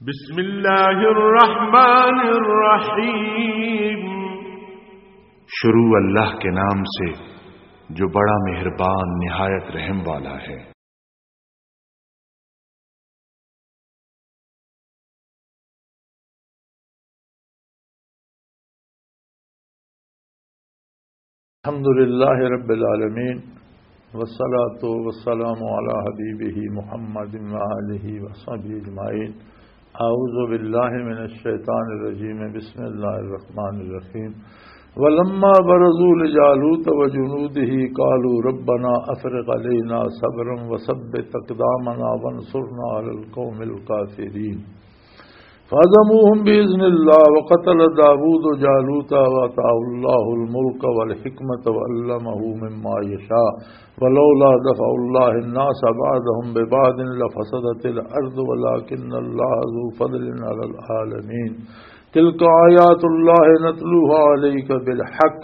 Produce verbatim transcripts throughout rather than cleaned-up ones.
بسم اللہ الرحمن الرحیم۔ شروع اللہ کے نام سے جو بڑا مہربان نہایت رحم والا ہے۔ الحمد لله رب العالمين، والصلاة والسلام على حبيبه محمد وآله وصحبه أجمعين۔ أعوذ بالله من الشيطان الرجيم، بسم الله الرحمن الرحيم۔ ولما برزوا لجالوت وجنوده قالوا ربنا أفرغ علينا صبرا وثبت أقدامنا وانصرنا على القوم الكافرين۔ فهزموهم بإذن الله وقتل داود جالوت وآتاه الله الملك والحكمة وعلمه مما يشاء ولولا دفع الله الناس بعضهم ببعض لفسدت الأرض ولكن الله ذو فضل على العالمين۔ تلك آيات الله نتلوها عليك بالحق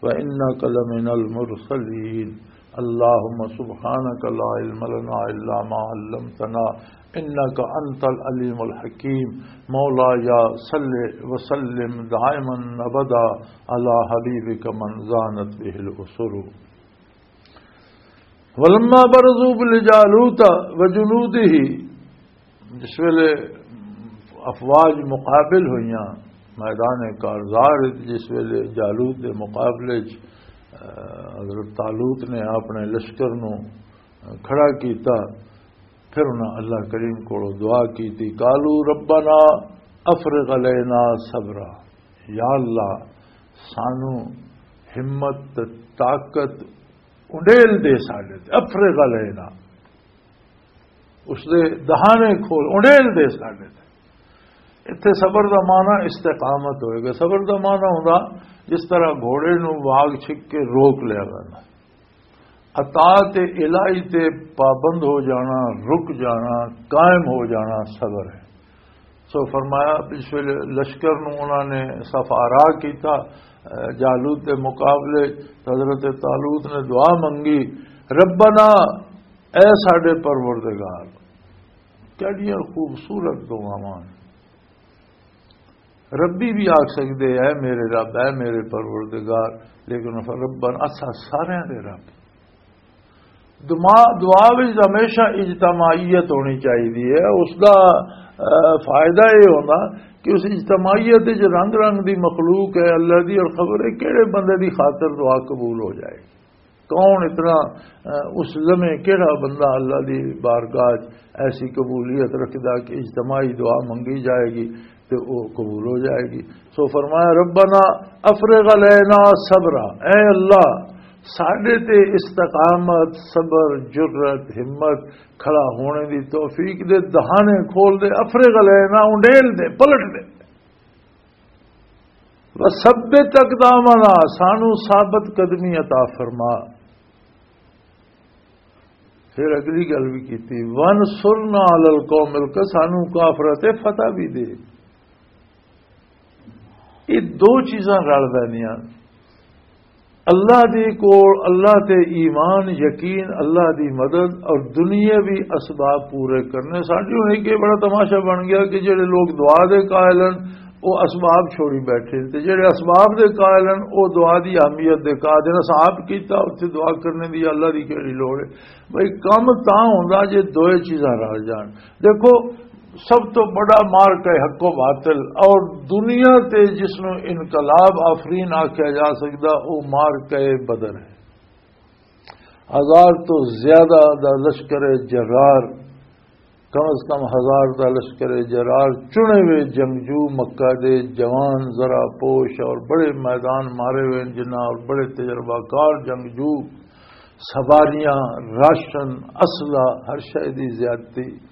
وإنك لمن المرسلين۔ اللهم سبحانك لا علم لنا إلا ما علمتنا إنك أنت العليم الحكيم۔ مولاي صل وسلم دائما أبدا على حبيبك من زانت به الأسر۔ ولما برزوا لجالوت وجنوده، جس ویلے افواج مقابل ہوئیاں میدان کارزار وچ، جس ویلے جالوت دے مقابلے وچ، آ، حضرت طالوت نے اپنے لشکر نو کھڑا کیتا، پھر انہاں اللہ کریم کولوں دعا کیتی، "قالوا ربنا افرغ علینا صبرا"، یا اللہ، سانو ہمت تے طاقت انڈیل دے ساڈے تے، افرغ علینا، اس دے دہانے کھول، انڈیل دے ساڈے تے۔ اتھے صبر دا معنی استقامت ہوئے گا۔ صبر دا معنی ہوندا جس طرح گھوڑے نو واگ چھک کے روک لیا جانا۔ اطاعت الہی تے پابند ہو جانا، رک جانا، قائم ہو جانا صبر ہے۔ سو فرمایا، اس ویلے لشکر نو انہاں نے صف آرا کیتا، اے، جالوت دے مقابلے حضرت طالوت نے دعا منگی، "ربنا"، اے ساڈے پروردگار، کیڑیاں خوبصورت دعاواں۔ ربی بھی آکھ سکدے، "اے میرے رب، اے میرے پروردگار"، لیکن ربنا اساں سارے دے رب۔ دعا، دعا وچ ہمیشہ اجتماعیت ہونی چاہیے ہے۔ اس دا، اہ، فائدہ یہ ہونا کہ اس اجتماعیت وچ رنگ رنگ دی مخلوق ہے اللہ دی، اور خبر ہے کہڑے بندے دی خاطر دعا قبول ہو جائے۔ کون اتنا، اہ، اس لمحے کہڑا بندہ اللہ دی بارگاہ وچ ایسی قبولیت رکھدا کہ اجتماعی دعا منگی جائے گی تے او قبول ہو جائے گی۔ سو فرمایا، "ربنا افرغ علینا صبرا"، اے اللہ، ساڈے تے استقامت، صبر، جرأت، ہمت، کھڑا ہونے دی توفیق دے، دہانے کھول دے، افرغ علینا، انڈیل دے، پلٹ دے۔ "وثبت اقدامنا"، سانو ثابت قدمی عطا فرما۔ پھر اگلی گل بھی کیتی، "وانصرنا علی القوم الک"، سانو کافراں تے فتح بھی دے۔ یہ دو چیزاں رل پیندیاں، اللہ دی کول، اللہ تے ایمان، یقین، اللہ دی مدد اور دنیاوی اسباب پورے کرنے۔ ساڈی ہن ایک یہ بڑا تماشا بن گیا کہ جڑے لوگ دعا دے قائل ہیں، وہ اسباب چھوڑی بیٹھے، تے جڑے اسباب دے قائل ہیں، وہ دعا دی اہمیت دے قائل ہیں۔ اساں آپ کیتا، اتھے دعا کرنے دی اللہ دی کیڑی لوڑ ہے؟ بھئی، کم تاں ہوندا جے دوئے چیزاں رل جان۔ دیکھو، سب تو بڑا مارکہ حق و باطل، اور دنیا تے جس نو انقلاب آفرین آکھیا جا سکدا، او مارکہ بدر ہے۔ ہزار تو زیادہ دا لشکر جرار، کم از کم ہزار دا لشکر جرار، چنے ہوئے جنگجو، مکہ دے جوان، ذرا پوش اور بڑے میدان مارے ہوئے جنہاں، اور بڑے تجربہ کار جنگجو، سواریاں، راشن، اسلحہ، ہر شے دی زیادتی۔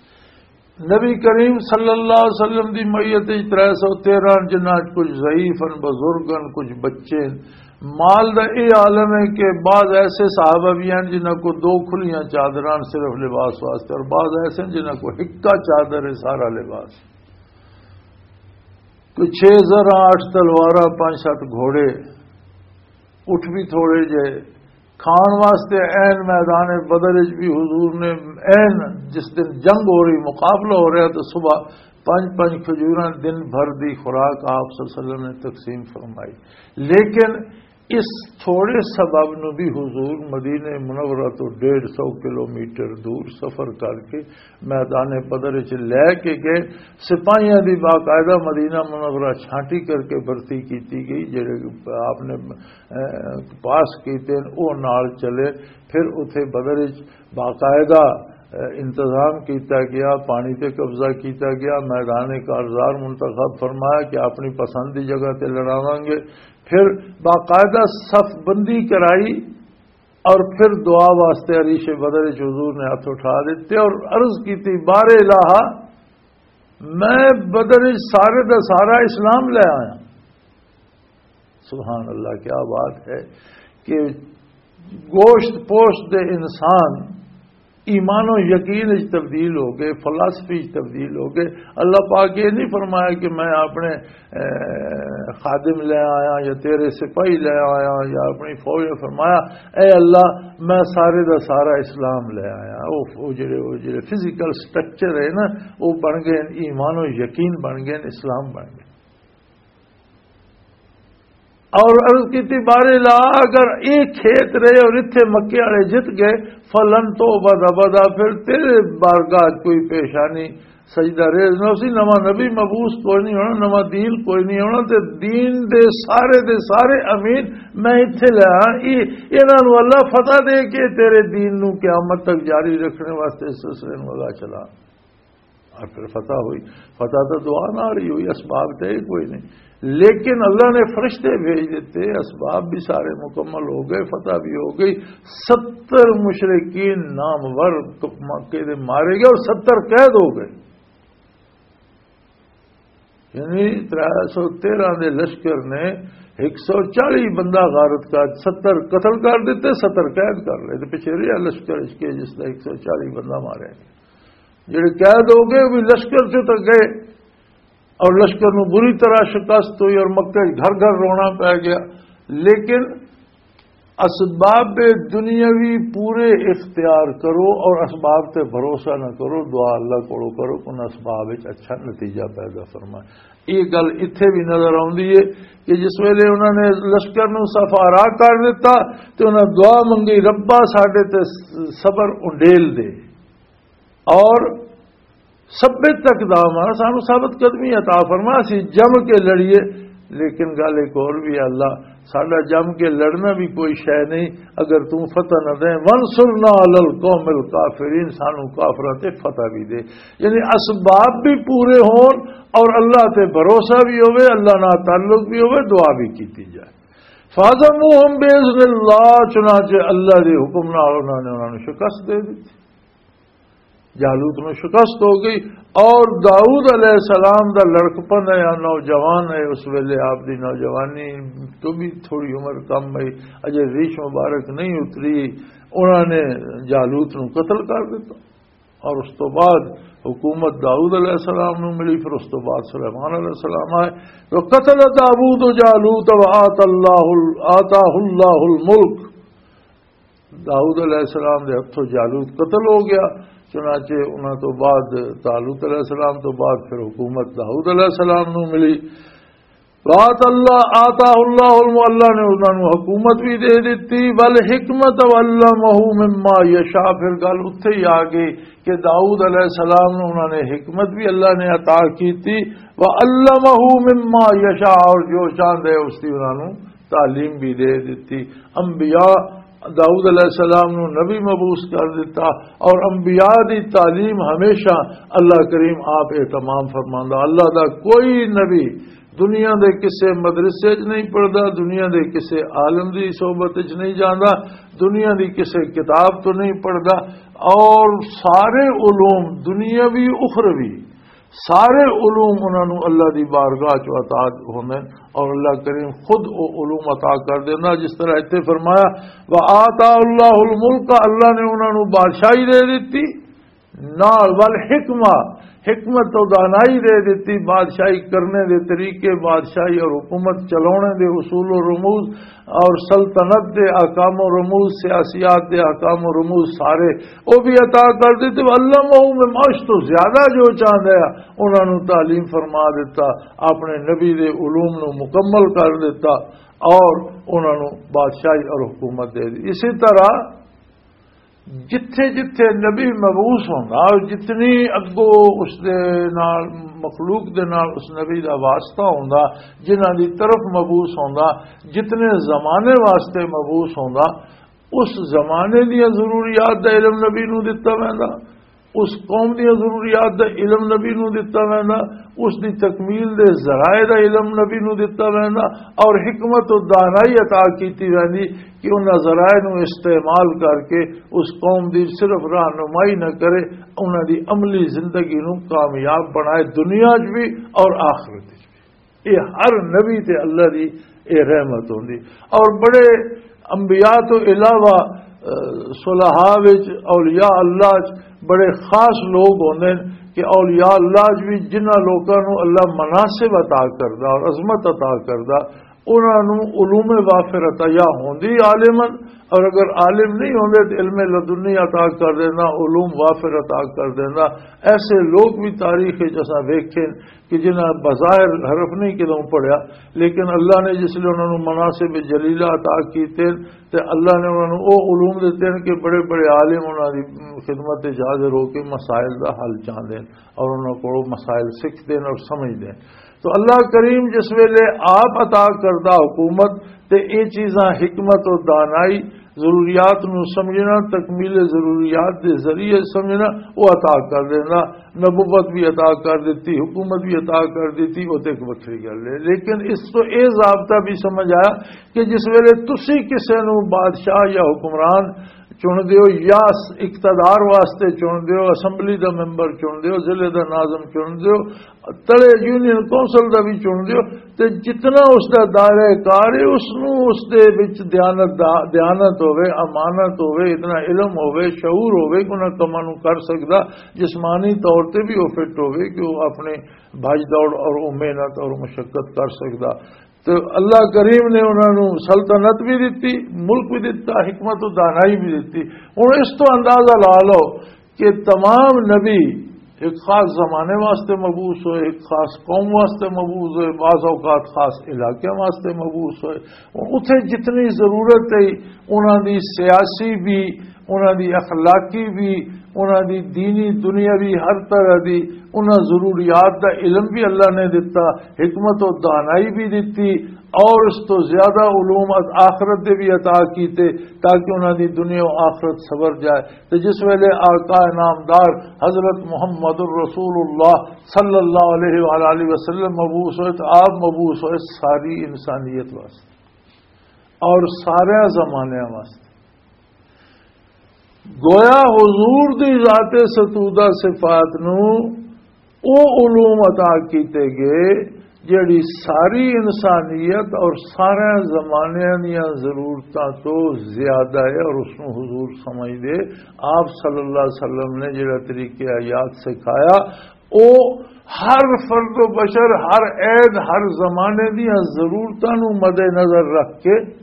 نبی کریم صلی اللہ علیہ وسلم دی معیت وچ ترے سو تیرہ، جنہاں وچ کچھ ضعیف ہن، بزرگ ہن، کچھ بچے ہن۔ مال دا اے عالم ہے کہ بعض ایسے صحابہ بھی ہیں جنہاں کو دو کھلیاں چادراں صرف لباس واسطے، اور بعض ایسے ہیں جنہاں کو ہکا چادر ہے سارا لباس۔ کوئی چھ زراں، اٹھ تلواراں، پانچ سات گھوڑے، اٹھ بھی تھوڑے جے، کھان واسطے عین میدان بدر وچ بھی حضور نے، عین جس دن جنگ ہو رہی، مقابلہ ہو رہا، تو صبح پنج پنج کھجوراں دن بھر دی خوراک آپ صلی اللہ علیہ وسلم نے تقسیم فرمائی۔ لیکن اس تھوڑے سبب نو بھی حضور مدینہ منورہ تو ڈیڑھ سو کلومیٹر دور سفر کر کے میدان بدر وچ لے کے گئے۔ سپاہیاں دی باقاعدہ مدینہ منورہ چھانٹی کر کے بھرتی کیتی گئی، جڑے آپ نے، اے، پاس کیتے ہیں، وہ نال چلے۔ پھر اتھے بدر وچ باقاعدہ، اے، انتظام کیتا گیا، پانی تے قبضہ کیتا گیا، میدان کارزار منتخب فرمایا کہ اپنی پسند دی جگہ تے لڑاواں گے۔ پھر باقاعدہ صف بندی کرائی اور پھر دعا واسطے عریش بدر وچ حضور نے ہاتھ اٹھا دیتے اور عرض کی تھی، "بار الہ، میں بدر وچ سارے دا سارا اسلام لے آیا۔" سبحان اللہ، کیا بات ہے کہ گوشت پوشت دے انسان ایمان و یقین وچ تبدیل ہو گئے، فلسفی وچ تبدیل ہو گئے۔ اللہ پاک یہ نہیں فرمایا کہ میں اپنے، اے، خادم لے آیا یا تیرے سپاہی لے آیا یا اپنی فوج لے، فرمایا، "اے اللہ، میں سارے دا سارا اسلام لے آیا۔" وہ، وہ جڑے، وہ جڑے فزیکل سٹرکچر ہے نا، وہ بن گئے، ایمان و یقین بن گئے، اسلام بن گئے۔ اور عرض کی تھی، "بار الہ، اگر ایک کھیت رہے اور اتھے مکے والے جت گئے، فلن تو بدا بدا، پھر تیرے بارگاہ کوئی پیشانی سجدہ ریز نہ اسی، نواں نبی مبعوث کوئی نہیں ہونا، نواں دین کوئی نہیں ہونا، تے دین دے سارے دے سارے امین میں اتھے لے آیا۔" یہ، انہاں نوں اللہ فتح دے کے تیرے دین نوں قیامت تک جاری رکھنے واسطے اس سلسلے نوں اللہ چلا۔ اور پھر فتح ہوئی۔ فتح تو دعا نہ رہی ہوئی، اسباب تے ہی کوئی نہیں، لیکن اللہ نے فرشتے بھیج دیتے، اسباب بھی سارے مکمل ہو گئے، فتح بھی ہو گئی۔ ستر مشرکین نامور مکے دے مارے گئے اور ستر قید ہو گئے۔ یعنی ترے سو تیرہ دے لشکر نے ایک سو چالی بندہ غارت کا، ستر قتل کر دیتے، ستر قید کر لے۔ تے پچھے رہیا لشکر اس کے جس دا ایک سو چالی بندہ مارے۔ جڑے قید ہو گئے، وہ بھی لشکر چوں تک گئے اور لشکر نوں بری طرح شکست ہوئی اور مکے گھر گھر رونا پی گیا۔ لیکن اسباب دنیاوی پورے اختیار کرو اور اسباب تے بھروسہ نہ کرو، دعا اللہ کولو کرو، ان اسباب وچ اچھا نتیجہ پیدا فرمائے۔ یہ گل اتھے بھی نظر آندی ہے کہ جس ویلے انہوں نے لشکر نوں صف آرا کر دیتا تے انہوں نے دعا منگی، "ربا، ساڈے تے صبر انڈیل دے اور ثبت اقدامنا، سانو ثابت قدمی عطا فرما، اسی جم کے لڑیے۔" لیکن گل ایک اور بھی ہے، "اللہ، ساڈا جم کے لڑنا بھی کوئی شے نہیں، اگر توں فتح نہ دے، وانصرنا علی القوم الکافرین، سانو کافراں تے فتح بھی دے۔" یعنی اسباب بھی پورے ہون اور اللہ تے بھروسہ بھی ہوئے، اللہ نال تعلق بھی ہوئے، دعا بھی کیتی جائے۔ فَهَزَمُوهُمْ بِإِذْنِ اللَّهِ، چنانچہ اللہ دے حکم نال انہاں نے انہاں نوں شکست دے دتی۔ جالوت نوں شکست ہو گئی۔ اور داؤد علیہ السلام دا لڑکپن ہے یا نوجوان ہے، اس ویلے آپ دی نوجوانی تو بھی تھوڑی عمر کم ہے، اجے ریش مبارک نہیں اتری، انہوں نے جالوت نوں قتل کر دیتا۔ اور اس تو بعد حکومت داؤد علیہ السلام نوں ملی، پھر اس تو بعد سلیمان علیہ السلام آئے۔ تو قتل داؤد جالوت و آت اللہ، آتاہ اللہ الملک۔ داؤد علیہ السلام دے ہتھوں جالوت قتل ہو گیا۔ چنانچہ انہاں تو بعد، طالوت علیہ السلام تو بعد پھر حکومت داؤد علیہ السلام نوں ملی۔ وآت اللہ، آتاہ اللہ علم، اللہ نے انہاں نوں حکومت بھی دے دتی، والحکمت وعلمہ مما یشاء۔ پھر گل اتھے ہی آ گئی کہ داؤد علیہ السلام نوں انہاں نے حکمت بھی اللہ نے عطا کیتی، وعلمہ مما یشاء، اور جو چاہندے اس دی انہاں نوں تعلیم بھی دے دتی۔ انبیاء، داؤد علیہ السلام نوں نبی مبعوث کر دتا، اور انبیاء دی تعلیم ہمیشہ اللہ کریم آپ اہتمام فرماندا۔ اللہ دا کوئی نبی دنیا دے کسے مدرسے وچ نہیں پڑھدا، دنیا دے کسے عالم دی صحبت وچ نہیں جاندا، دنیا دی کسے کتاب تو نہیں پڑھدا، اور سارے علوم دنیاوی اخروی سارے علوم انہاں نوں اللہ دی بارگاہ چ عطا ہوندے نے، اور اللہ کریم خود او علوم عطا کر دیندا۔ جس طرح اتھے فرمایا، "وآتاہ اللہ الملک"، اللہ نے انہاں نوں بادشاہی دے دتی، نال والحکمہ، حکمت و دانائی دے دتی، بادشاہی کرنے دے طریقے، بادشاہی اور حکومت چلاونے دے اصول و رموز اور سلطنت دے احکام و رموز، سیاسیات دے احکام و رموز سارے او بھی عطا کر دتے۔ علمہ مما، اس تو زیادہ جو چاہندا ہے، انہاں نوں تعلیم فرما دتا، اپنے نبی دے علوم نوں مکمل کر دتا اور انہاں نوں بادشاہی اور حکومت دے دی۔ اسی طرح جتھے جتھے نبی مبعوث ہوندا اور جتنی اگوں اس دے نال، مخلوق دے نال اس نبی دا واسطہ ہوندا، جنہاں دی طرف مبعوث ہوندا، جتنے زمانے واسطے مبعوث ہوندا، اس زمانے دیاں ضروریات دا علم نبی نوں دتا ویندا، اس قوم دیاں ضروریات دا علم نبی نوں دتا ویندا، اس دی تکمیل دے ذرائع دا علم نبی نوں دتا ویندا، اور حکمت و دانائی عطا کیتی ویندی کہ انہاں ذرائع نوں استعمال کر کے اس قوم دی صرف رہنمائی نہ کرے، انہاں دی عملی زندگی نوں کامیاب بنائے، دنیا 'چ بھی اور آخرت 'چ بھی۔ یہ ہر نبی تے اللہ دی یہ رحمت ہوندی۔ اور بڑے انبیاء تو علاوہ، اہ، صلحاء وچ، اولیاء اللہ وچ بڑے خاص لوگ ہوندے نے کہ اولیاء اللہ وچ بھی جنہاں لوکاں نوں اللہ مناسب عطا کردا اور عظمت عطا کردا، انہاں نوں علوم وافر عطا یا ہوندی عالمن، اور اگر عالم نہیں ہوندے تو علم لدنی عطا کر دینا، علوم وافر عطا کر دینا۔ ایسے لوگ بھی تاریخ وچ اساں ویکھے کہ جنہاں بظاہر حرف نہیں کدوں پڑھیا، لیکن اللہ نے جس لئے انہاں نوں مناسب جلیلہ عطا کیتے، تے اللہ نے انہاں نوں او علوم دتے ہیں کہ بڑے بڑے عالم انہاں دی خدمت وچ حاضر ہو کے مسائل دا حل چاہندے ہیں اور انہاں کولوں مسائل سکھدے ہیں اور سمجھدے ہیں۔ تو اللہ کریم جس ویلے آپ عطا کردا حکومت، تے اے چیزاں حکمت و دانائی، ضروریات نوں سمجھنا، تکمیل ضروریات دے ذریعے سمجھنا، او عطا کر دیندا۔ نبوت بھی عطا کر دتی، حکومت بھی عطا کر دتی، او تے ایک وکھری گل ہے۔ لیکن اس تو اے ضابطہ بھی سمجھ آیا کہ جس ویلے تسی کسے نوں بادشاہ یا حکمران چن دیو یا اقتدار واسطے چن دیو، اسمبلی دا ممبر چن دیو، ضلع دا ناظم چن دیو، تلے یونین کونسل دا بھی چن دیو، تے جتنا اس دا دائرہ کار ہے، اس نوں اس دے وچ دیانت دا، دیانت ہوے، امانت ہوے، اتنا علم ہوے، شعور ہوے کہ انہاں کماں نوں کر سکدا، جسمانی طور تے بھی وہ فٹ ہوے کہ وہ اپنے بھاج دوڑ اور وہ محنت اور مشقت کر سکدا۔ تو اللہ کریم نے انہاں نوں سلطنت بھی دتی، ملک بھی دتا، حکمت و دانائی بھی دتی۔ ہن اس تو اندازہ لا لو کہ تمام نبی ایک خاص زمانے واسطے مبعوث ہوئے، ایک خاص قوم واسطے مبعوث ہوئے، بعض اوقات خاص علاقے واسطے مبعوث ہوئے۔ اتھے جتنی ضرورت ہے، انہاں دی سیاسی بھی، انہاں دی اخلاقی بھی، انہاں دی دینی، دنیاوی، ہر طرح دی انہاں ضروریات دا علم بھی اللہ نے دتا، حکمت و دانائی بھی دتی، اور اس تو زیادہ علوم از آخرت دے بھی عطا کیتے، تاکہ انہاں دی دنیا و آخرت سنور جائے۔ تے جس ویلے آقا نامدار حضرت محمد الرسول اللہ صلی اللہ علیہ وآلہ وسلم مبعوث ہوئے، تو آپ مبعوث ہوئے ساری انسانیت واسطے اور سارے زمانے واسطے۔ گویا حضور دی ذات ستودہ صفات نو او علوم عطا کیتے گئے جڑی ساری انسانیت اور سارے زمانے دیاں ضرورتاں تو زیادہ ہے، اور اس نو حضور سمجھ دے۔ آپ صلی اللہ علیہ وسلم نے جڑا طریقہ حیات سکھایا، او ہر فرد و بشر، ہر عید، ہر زمانے دیاں ضرورتاں نو مد نظر رکھ کے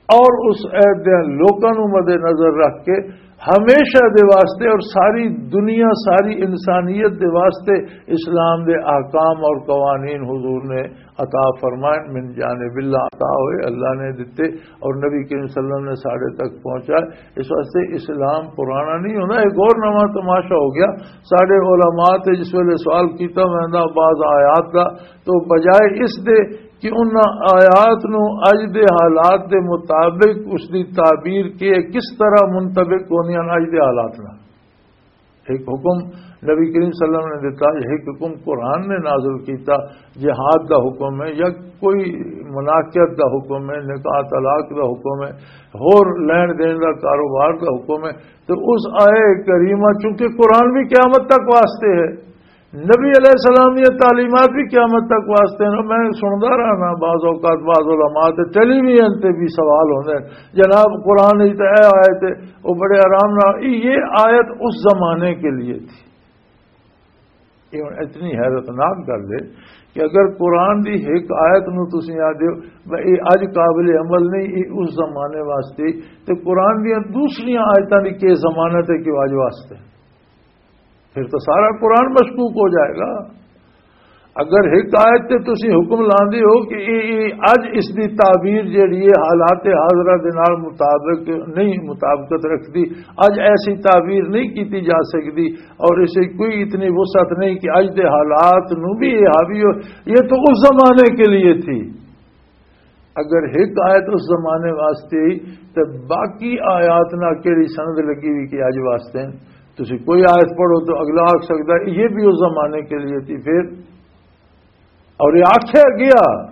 اور اس عید دے لوکاں نو مد نظر رکھ کے ہمیشہ دے واسطے اور ساری دنیا، ساری انسانیت دے واسطے اسلام دے احکام اور قوانین حضور نے عطا فرمائے، من جانب اللہ عطا ہوئے، اللہ نے دتے اور نبی کریم صلی اللہ علیہ وسلم نے ساڑے تک پہنچائے۔ اس واسطے اسلام پرانا نہیں ہونا، ایک اور نواں تماشا ہو گیا۔ ساڑے علماء تے جس ویلے سوال کیتا ویندا بعض آیات دا، تو بجائے اس دے کہ انہاں آیات نو اج دے حالات دے مطابق اس دی تعبیر کے کس طرح منطبق ہوندیاں اج دے حالات نال۔ ایک حکم نبی کریم صلی اللہ علیہ وسلم نے دیتا، ایک حکم قرآن نے نازل کیتا، جہاد دا حکم ہے یا کوئی مناکت دا حکم ہے، نکاح طلاق دا حکم ہے، ہور لین دین دا کاروبار دا حکم ہے۔ تو اس آئے کریمہ، چونکہ قرآن بھی قیامت تک واسطے ہے، نبی علیہ السلام یہ تعلیمات بھی قیامت تک واسطے ہیں۔ میں سندا رہنا، بعض اوقات بعض علماء تے ٹیلی ویژن تے بھی سوال ہوندے ہیں، "جناب، قرآن وچ تے اے آیت ہے، وہ بڑے آرام نال۔" یہ آیت اس زمانے کے لیے تھی، یہ ہن اتنی حیرتناک گل ہے کہ اگر قرآن دی ایک آیت نو تسی آ دیو، "بھئی، یہ اج قابل عمل نہیں، یہ اس زمانے واسطے"، تے قرآن دیاں دوسریاں آیتاں دی کی ضمانت ہے کہ وہ اج واسطے، پھر تو سارا قرآن مشکوک ہو جائے گا۔ اگر ایک آیت تے تسی حکم لاندے ہو کہ یہ، یہ اج اس دی تعبیر جیڑی ہے حالات حاضرہ دے نال مطابق نہیں، مطابقت رکھدی، اج ایسی تعبیر نہیں کیتی جا سکدی، اور اسے کوئی اتنی وسعت نہیں کہ اج دے حالات نو بھی یہ حاوی ہو، یہ تو اس زمانے کے لیے تھی۔ اگر ایک آیت اس زمانے واسطے ہی، تے باقی آیات نہ کیڑی سند لگی ہوئی کہ اج واسطے ہیں؟ تسی کوئی آیت پڑھو تو اگلا آکھ سکدا ہے، یہ بھی اس زمانے کے لیے تھی۔ پھر اور یہ آکھیا گیا،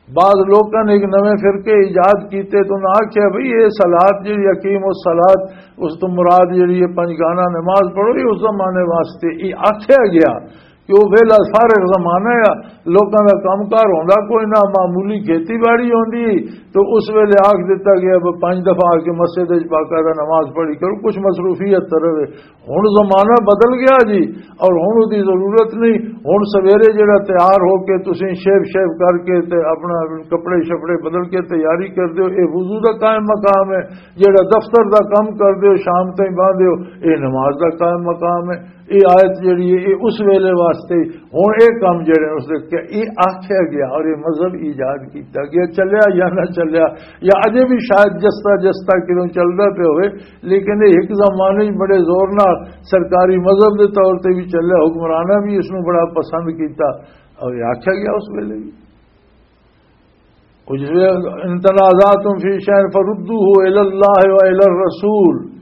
بعض لوکاں نے ایک نویں فرقے ایجاد کیتے تو انہاں آکھیا، "بھئی، یہ صلات جڑی، اقیم الصلات، اس تو مراد جڑی ہے پنج گانا نماز پڑھو، یہ اس زمانے واسطے۔" یہ آکھیا گیا کہ وہ ویلا فارغ زمانہ ہے، لوکاں دا کم کار ہوندا کوئی نہ، معمولی کھیتی باڑی ہوندی، تو اس ویلے آکھ دتا گیا، "بھئی، پنج دفعہ آ کے مسجد وچ باقاعدہ نماز پڑھی کرو، کچھ مصروفیت طرف ہے۔" ہن زمانہ بدل گیا جی، اور ہن اودی ضرورت نہیں۔ ہن سویرے جڑا تیار ہو کے تسیں شیو شیو کر کے تے اپنا کپڑے شپڑے بدل کے تیاری کر دیو، اے وضو دا قائم مقام ہے۔ جڑا دفتر دا کام کر دیو، شام تائیں باندھ دیو، اے نماز دا قائم مقام ہے۔ اے آیت جڑی ہے، اے اس ویلے واسطے۔ ہن اے کام جڑے اس دے کہ اے آکھیا گیا اور اے مذہب ایجاد کیتا گیا، چلیا یا نہ چلیا، یا اجے بھی شاید جستا جستا کدوں چلدا پیا ہوئے، لیکن یہ ایک زمانے وچ بڑے زور نال سرکاری مذہب دے طور تے بھی چلیا، حکمراناں بھی اس نوں بڑا پسند کیتا۔ اور یہ آکھیا گیا اس ویلے بھی، اور جس ویلے، "ان تنازعتم فی شیء فردوہ الی اللہ و الی الرسول"،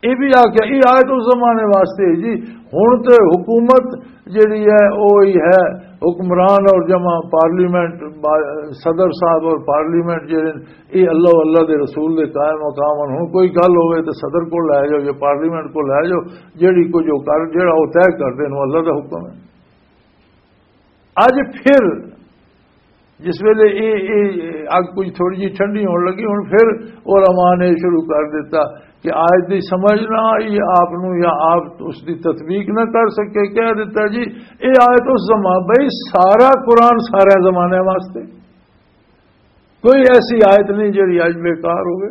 یہ بھی آکھیا، یہ آیت اس زمانے واسطے ہے جی۔ ہن تے حکومت جڑی ہے، وہی ہے، حکمران اور جمع پارلیمنٹ، با-، صدر صاحب اور پارلیمنٹ جڑے، یہ اللہ، اللہ دے رسول دے قائم مقام ہن۔ ہن کوئی گل ہوئے تے صدر کو لے جاؤ یا پارلیمنٹ کو لے جاؤ، جڑی کچھ وہ کر، جڑا وہ طے کر دین، وہ اللہ دا حکم ہے۔ اج پھر جس ویلے یہ، یہ اگ کچھ تھوڑی جی ٹھنڈی ہون لگی، ہن پھر علماء نے شروع کر دیتا کہ آیت دی سمجھ نہ آئی آپ نو، یا آپ اس دی تطبیق نہ کر سکے، کہہ دیتا جی، یہ آیت اس زمان، بھائی، سارا قرآن سارے زمانے واسطے، کوئی ایسی آیت نہیں جڑی اج بیکار ہوئے،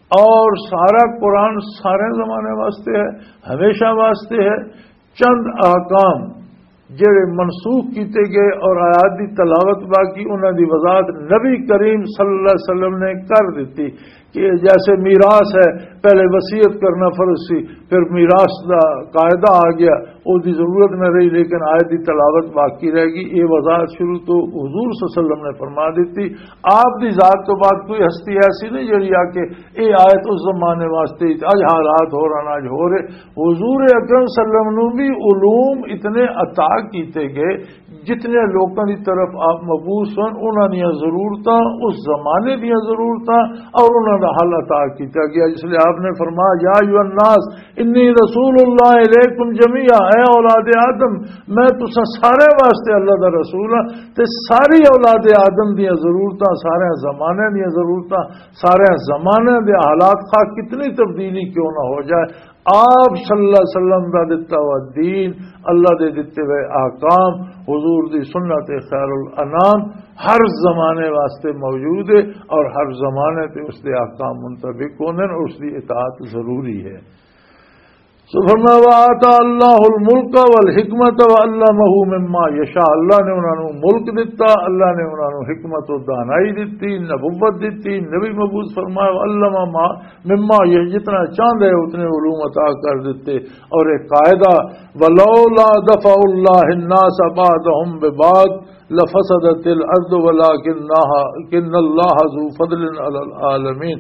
اور سارا قرآن سارے زمانے واسطے ہے، ہمیشہ واسطے ہے۔ چند احکام جڑے منسوخ کیتے گئے اور آیات دی تلاوت باقی، انہاں دی وضاحت نبی کریم صلی اللہ علیہ وسلم نے کر دیتی کہ جیسے میراث ہے، پہلے وصیت کرنا فرض سی، پھر میراث دا قاعدہ آ گیا، اس دی ضرورت نہ رہی، لیکن آیت دی تلاوت باقی رہ گئی۔ یہ وضاحت شروع تو حضور صلی اللہ علیہ وسلم نے فرما دیتی۔ آپ دی ذات تو بعد کوئی ہستی ایسی نہیں جڑی آ کے یہ آیت اس زمانے واسطے، اج حالات ہو رہا، اج ہو رہے۔ حضور اکرم صلی اللہ علیہ وسلم نو بھی علوم اتنے عطا کیتے گئے، جتنے لوکاں دی طرف آپ مبعوث ہن، انہاں دیاں ضرورتاں، اس زمانے دیاں ضرورتاں اور انہاں دا حل عطا کیتا گیا۔ اس لیے آپ نے فرمایا، "یا ایھا الناس انی رسول اللہ الیکم جمیعا"، اے اولاد آدم، میں تساں سارے واسطے اللہ دا رسول ہاں، تے ساری اولاد آدم دیاں ضرورتاں، سارے زمانے دیاں ضرورتاں، سارے زمانے دے حالات، خواہ کتنی تبدیلی کیوں نہ ہو جائے، آپ صلی اللہ علیہ وسلم دا دتا ہوا دین، اللہ دے دتے ہوئے احکام، حضور دی سنت خیر الانام ہر زمانے واسطے موجود ہے، اور ہر زمانے تے اس دے احکام منطبق ہوندے نے، اس دی اطاعت ضروری ہے۔ سو فرمایا، "وآتى الله الملك والحكمة وعلمه مما يشاء"، اللہ نے انہاں نوں ملک دتا، اللہ نے انہاں نوں حکمت و دانائی دتی، نبوت دتی، نبی مبعوث فرمایا، "وعلم ما مما"، یہ جتنا چاہندے اتنے علوم عطا کر دیتے۔ اور ایک قاعدہ، "ولولا دفع الله الناس بعضهم ببعض لفسدت الارض ولكن الله ذو فضل على العالمين"،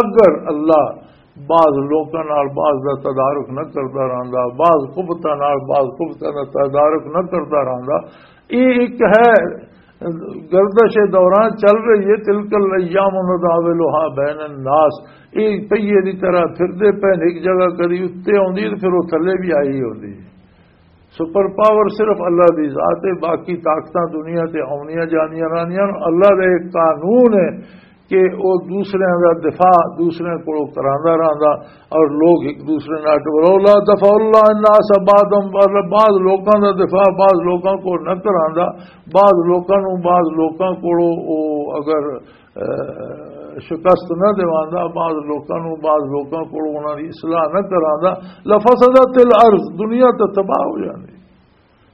اگر اللہ بعض لوکاں نال بعض دا تدارک نہ کردا رہندا، بعض قوتاں نال بعض قوتاں دا تدارک نہ کردا رہندا، یہ ایک ہے گردش دوران چل رہی ہے، "تلک الایام نداولها بین الناس"، یہ پہیے دی طرح پھردے پے نے، ایک جگہ کدی اتتے آندی ہے تے پھر وہ تھلے بھی آئی ہوندی ہے۔ سپر پاور صرف اللہ دی ذات ہے، باقی طاقتاں دنیا تے آونیاں جانیاں رہنیاں، اللہ دا ایک قانون ہے کہ وہ دوسرے دا دفاع دوسرے کو کراندا رہندا، اور لوگ ایک دوسرے نال، ولولا دفع اللہ الناس بعضهم، بعض لوکاں دا دفاع بعض لوکاں کو نہ کراندا، بعض لوکاں نو بعض لوکاں کو وہ اگر، اے، شکست نہ دیواندا، بعض لوکاں نو بعض لوکاں کو انہاں دی اصلاح نہ کراندا، لفسدت الارض، دنیا تے تباہ ہو جاندی۔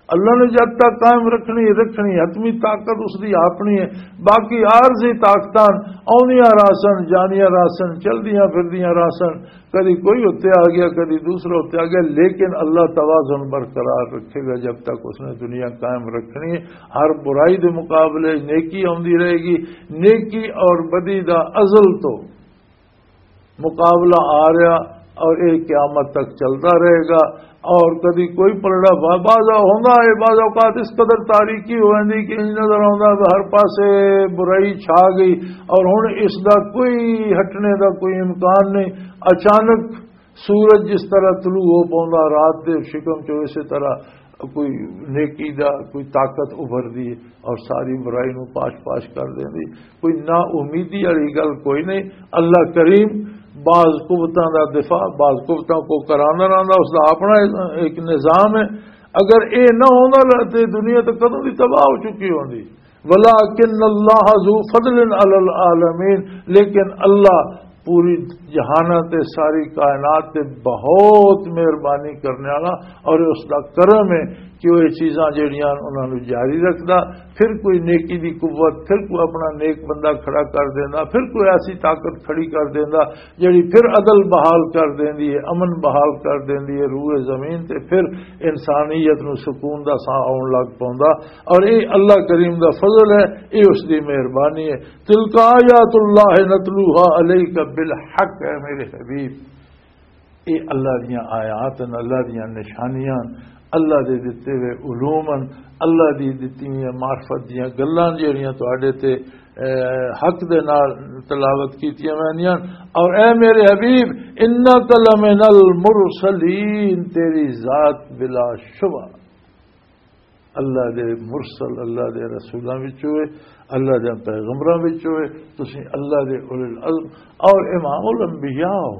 اللہ نے جد تک قائم رکھنی، رکھنی، حتمی طاقت اس دی اپنی ہے۔ باقی عارضی طاقتاں آوندیاں رہسن، جاندیاں رہسن، چلدیاں پھردیاں رہسن، کدی کوئی اتتے آ گیا، کدی دوسرا اتتے آ گیا، لیکن اللہ توازن برقرار رکھے گا جب تک اس نے دنیا قائم رکھنی ہے۔ ہر برائی دے مقابلے نیکی آوندی رہے گی، نیکی اور بدی دا ازل تو مقابلہ آ رہا اور یہ قیامت تک چلتا رہے گا۔ اور کدی کوئی پلڑا با-، بعض ہوندا ہے، بعض اوقات اس قدر تاریکی ہو جاندی کہ انج نظر آوندا ہے ہر پاسے برائی چھا گئی، اور ہن اس دا کوئی ہٹنے دا کوئی امکان نہیں۔ اچانک سورج جس طرح طلوع ہو پوندا رات دے شکم چوں، اسی طرح کوئی نیکی دا، کوئی طاقت ابھردی ہے اور ساری برائی نو پاش پاش کر دیندی۔ کوئی نا امیدی والی گل کوئی نہیں۔ اللہ کریم بعض قوتاں دا دفاع، بعض قوتاں کو کراندا رہندا، اس دا اپنا ایک نظام ہے۔ اگر اے نہ ہوندا تے دنیا تے کدوں دی تباہ ہو چکی ہوندی۔ ولکن اللہ ذو فضل علی العالمین، لیکن اللہ پوری جہاناں تے ساری کائنات تے بہت مہربانی کرنے والا، اور اس دا کرم ہے کہ وہ یہ چیزاں جڑیاں انہاں نوں جاری رکھدا۔ پھر کوئی نیکی دی قوت، پھر کوئی اپنا نیک بندہ کھڑا کر دیندا، پھر کوئی ایسی طاقت کھڑی کر دیندا جڑی پھر عدل بحال کر دیندی ہے، امن بحال کر دیندی ہے روئے زمین تے، پھر انسانیت نوں سکون دا ساہ آن لگ پوندا۔ اور یہ اللہ کریم دا فضل ہے، یہ اس دی مہربانی ہے۔ تلک آیات اللہ نتلوها علیک بالحق، اے میرے حبیب، یہ اللہ دیاں آیات ہیں، اللہ دیاں نشانیاں ہیں، اللہ دے دتے ہوئے علوم ہیں، اللہ دی دتی ہوئی معرفت دیاں گلاں جہڑیاں تواڈے تے، اے، حق دے نال تلاوت کیتیاں ویندیاں۔ اور اے میرے حبیب، انک لمن المرسلین، تیری ذات بلا شبہ اللہ دے مرسل، اللہ دے رسولاں وچ ہوئے، اللہ دے پیغمبراں وچ ہوئے، تسی اللہ دے اولل العزم اور امام الانبیاء ہو۔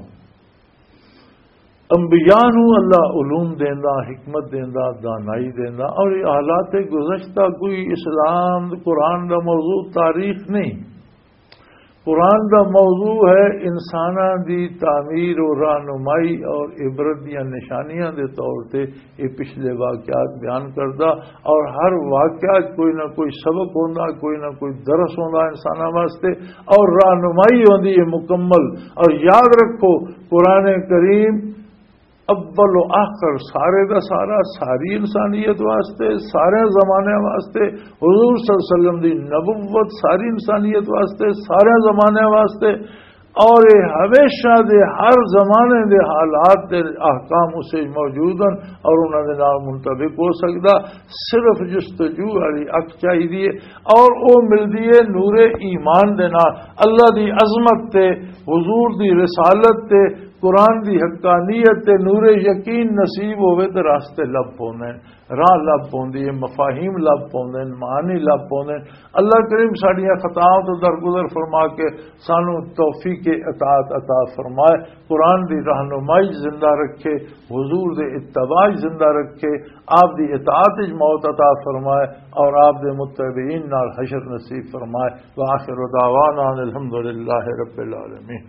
انبیاء نو اللہ علوم دیندا، حکمت دیندا، دانائی دیندا، اور یہ حالات گزشتہ کوئی اسلام، قرآن دا موضوع تاریخ نہیں۔ قرآن دا موضوع ہے انساناں دی تعمیر و رہنمائی اور عبرت دیاں نشانیاں دے طور تے یہ پچھلے واقعات بیان کردا، اور ہر واقعہ چ کوئی نہ کوئی سبق ہوندا، کوئی نہ کوئی درس ہوندا انساناں واسطے، اور رہنمائی ہوندی ہے مکمل۔ اور یاد رکھو، قرآن کریم اول و آخر سارے دا سارا، ساری انسانیت واسطے، سارے زمانے واسطے، حضور صلی اللہ علیہ وسلم دی نبوت ساری انسانیت واسطے، سارے زمانے واسطے، اور یہ ہمیشہ دے ہر زمانے دے حالات دے احکام اسے موجود ہیں اور انہاں دے نال منطبق ہو سکدا۔ صرف جستجو والی اکھ چاہیے اور وہ ملدی ہے نور ایمان دے نال، اللہ دی عظمت تے، حضور دی رسالت تے، قرآن دی حقانیت تے نور یقین نصیب ہوئے تے راستے لب پوندے ہیں، راہ لب پوندی ہے، مفاہیم لب پوندے ہیں، معانی لب پوندے ہیں۔ اللہ کریم ساڈیاں خطاواں تو درگزر فرما کے سانو توفیق اطاعت عطا فرمائے، قرآن دی رہنمائی زندہ رکھے، حضور دے اتباع زندہ رکھے، آپ دی اطاعت وچ موت عطا فرمائے اور آپ دے متبعین نال حشر نصیب فرمائے۔ وآخر دعوانا ان الحمد للہ رب العالمین۔